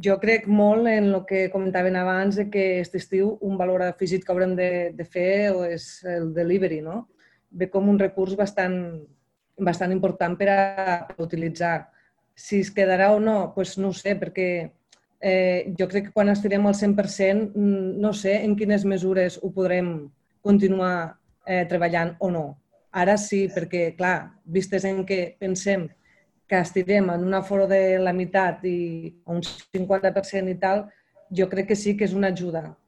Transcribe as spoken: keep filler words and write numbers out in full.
Jo crec molt en el que comentaven abans, de que aquest estiu un valor afegit que haurem de, de fer és el delivery, no? Ve com un recurs bastant, bastant important per a, per a utilitzar. Si es quedarà o no, doncs no ho sé, perquè eh, jo crec que quan estirem al cent per cent no sé en quines mesures ho podrem continuar eh, treballant o no. Ara sí, perquè, clar, vistes en què pensem que estirem en un aforo de la meitat i un cinquanta per cent i tal, jo crec que sí que és una ajuda.